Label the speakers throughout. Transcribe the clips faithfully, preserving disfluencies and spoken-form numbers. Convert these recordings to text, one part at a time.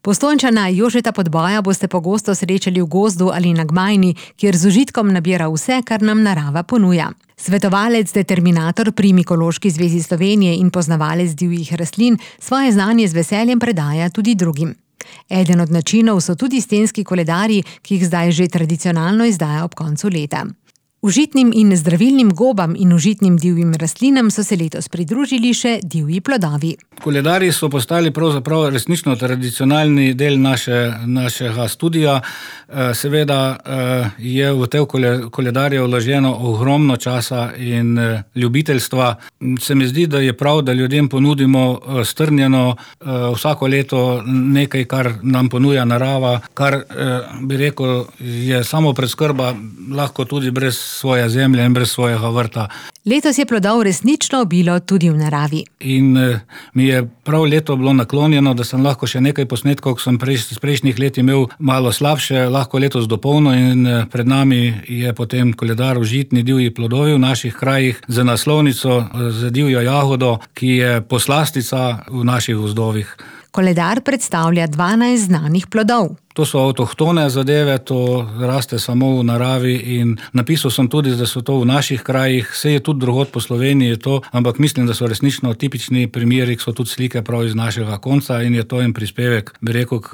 Speaker 1: Postojnčana Jožeta Podboja boste pogosto srečali v gozdu ali na Gmajni, kjer z užitkom nabira vse, kar nam narava ponuja. Svetovalec, determinator pri Mikološki zvezi Slovenije in poznavalec divjih rastlin svoje znanje z veseljem predaja tudi drugim. Eden od načinov so tudi stenski koledarji, ki jih zdaj že tradicionalno izdaja ob koncu leta. Užitnim in zdravilnim gobam in užitnim divjim rastlinam so se letos pridružili še divji plodovi.
Speaker 2: Koledarji so postali pravzaprav resnično tradicionalni del naše, našega studija. Seveda je v te koledarje vloženo ogromno časa in ljubiteljstva. Se mi zdi, da je prav, da ljudem ponudimo strnjeno vsako leto nekaj, kar nam ponuja narava, kar bi rekel, je samo preskrba lahko tudi brez svoje zemlje in brez svojega vrta.
Speaker 1: Letos je plodov resnično obilo tudi v naravi.
Speaker 2: In mi je prav leto bilo naklonjeno, da sem lahko še nekaj posnetkov, ko sem prejš, prejšnjih let imel malo slabše, lahko letos dopolno in pred nami je potem koledar užitni divji plodovi v naših krajih z naslovnico z divjo jagodo, ki je poslastica v naših gozdovih.
Speaker 1: Koledar predstavlja dvanajst znanih plodov.
Speaker 2: To so avtohtone zadeve, to raste samo v naravi in napisal sem tudi, da so to v naših krajih, vse je tudi drugod po Sloveniji to, ampak mislim, da so resnično tipični primeri, so tudi slike prav iz našega konca in je to en prispevek, bi rekel, k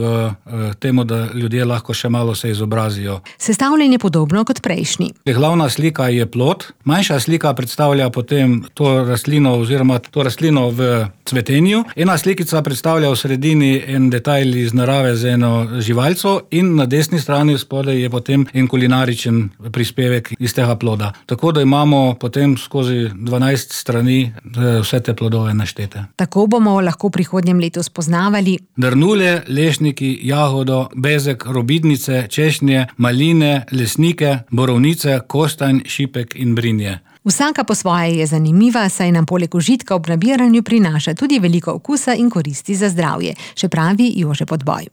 Speaker 2: temu, da ljudje lahko še malo se izobrazijo.
Speaker 1: Sestavljen je podobno kot prejšnji.
Speaker 2: Glavna slika je plod, manjša slika predstavlja potem to rastlino oziroma to rastlino v cvetenju, ena slikica predstavlja v sredini en detajl iz narave z eno živaljo in na desni strani spodaj je potem en kulinaričen prispevek iz tega ploda. Tako da imamo potem skozi dvanajst strani vse te plodove naštete.
Speaker 1: Tako bomo lahko v prihodnjem letu spoznavali
Speaker 2: drnulje, lešniki, jagodo, bezek, robidnice, češnje, maline, lesnike, borovnice, kostanj, šipek in brinje.
Speaker 1: Vsaka po svoje je zanimiva, saj nam poleg užitka ob nabiranju prinaša tudi veliko okusa in koristi za zdravje, še pravi Jože Podboj.